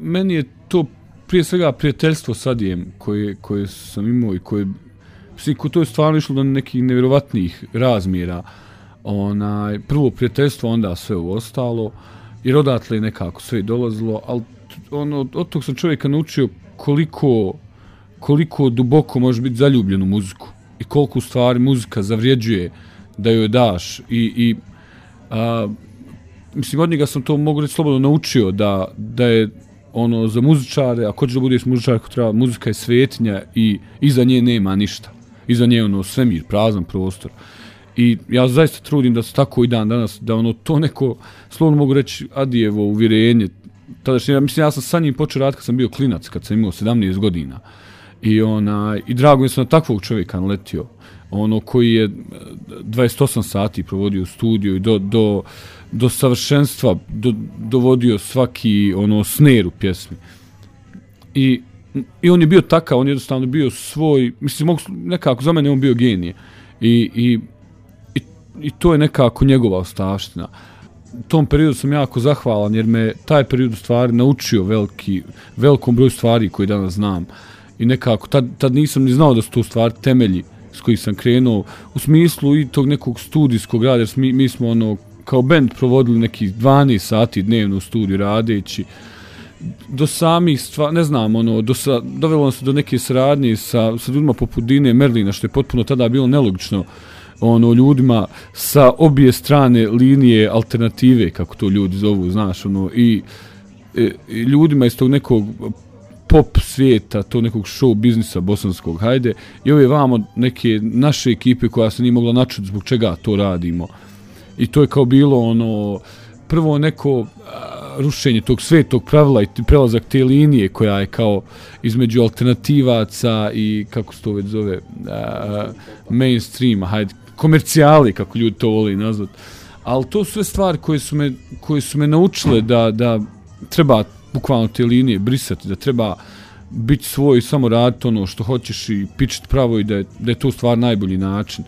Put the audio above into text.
meni je to prije svega prijateljstvo s Adijem koje sam imao i koje to je stvarno išlo do nekih nevjerovatnih razmjera. Prvo prijateljstvo, onda sve u ostalo, jer odatle je nekako sve dolazilo, ali od tog sam čovjeka naučio koliko duboko može biti zaljubljen u muziku i koliko u stvari muzika zavrijeđuje da joj daš mislim, od njega sam to, mogu reći, slobodno naučio da je za muzičare, ako hoćeš da budeš muzičar, ako treba, muzika je svetinja i iza nje nema ništa. Iza nje je svemir, prazan prostor. I ja zaista trudim da se tako i dan danas, da to neko, slobodno mogu reći, Adijevo uvjerenje, tadašnje, mislim, ja sam sa njim počeo raditi kad sam bio klinac, kad sam imao 17 godina. I drago mi je sam na takvog čovjeka naletio, koji je 28 sati provodio u studiju i do savršenstva dovodio svaki snare u pjesmi. I on je bio takav, on je jednostavno bio svoj, mislim, nekako za mene on bio genije. I to je nekako njegova ostavština. U tom periodu sam jako zahvalan jer me taj period u stvari naučio velikom broju stvari koje danas znam. I nekako, tad nisam ni znao da su to stvari temelji s kojih sam krenuo, u smislu i tog nekog studijskog rada, jer mi smo kao band provodili nekih 12 sati dnevno u studiju radeći, do samih stvari, ne znam, dovelo nas do neke saradnje sa ljudima poput Dine Merlina, što je potpuno tada bilo nelogično, ljudima sa obje strane linije alternative, kako to ljudi zovu, znaš, i ljudima iz tog nekog pop svijeta, to nekog show biznisa bosanskog, hajde, i ove vamo neke naše ekipe koja se nije mogla načuti zbog čega to radimo. I to je kao bilo prvo neko rušenje tog svetog pravila i prelazak te linije koja je kao između alternativaca i, kako se to već zove, mainstreama, hajde, komercijali, kako ljudi to voli nazvat. Ali to su sve stvari koje su me naučile da treba bukvalno te linije brisati, da treba biti svoj, samo raditi što hoćeš i pičiti pravo i da je to stvar najbolji način.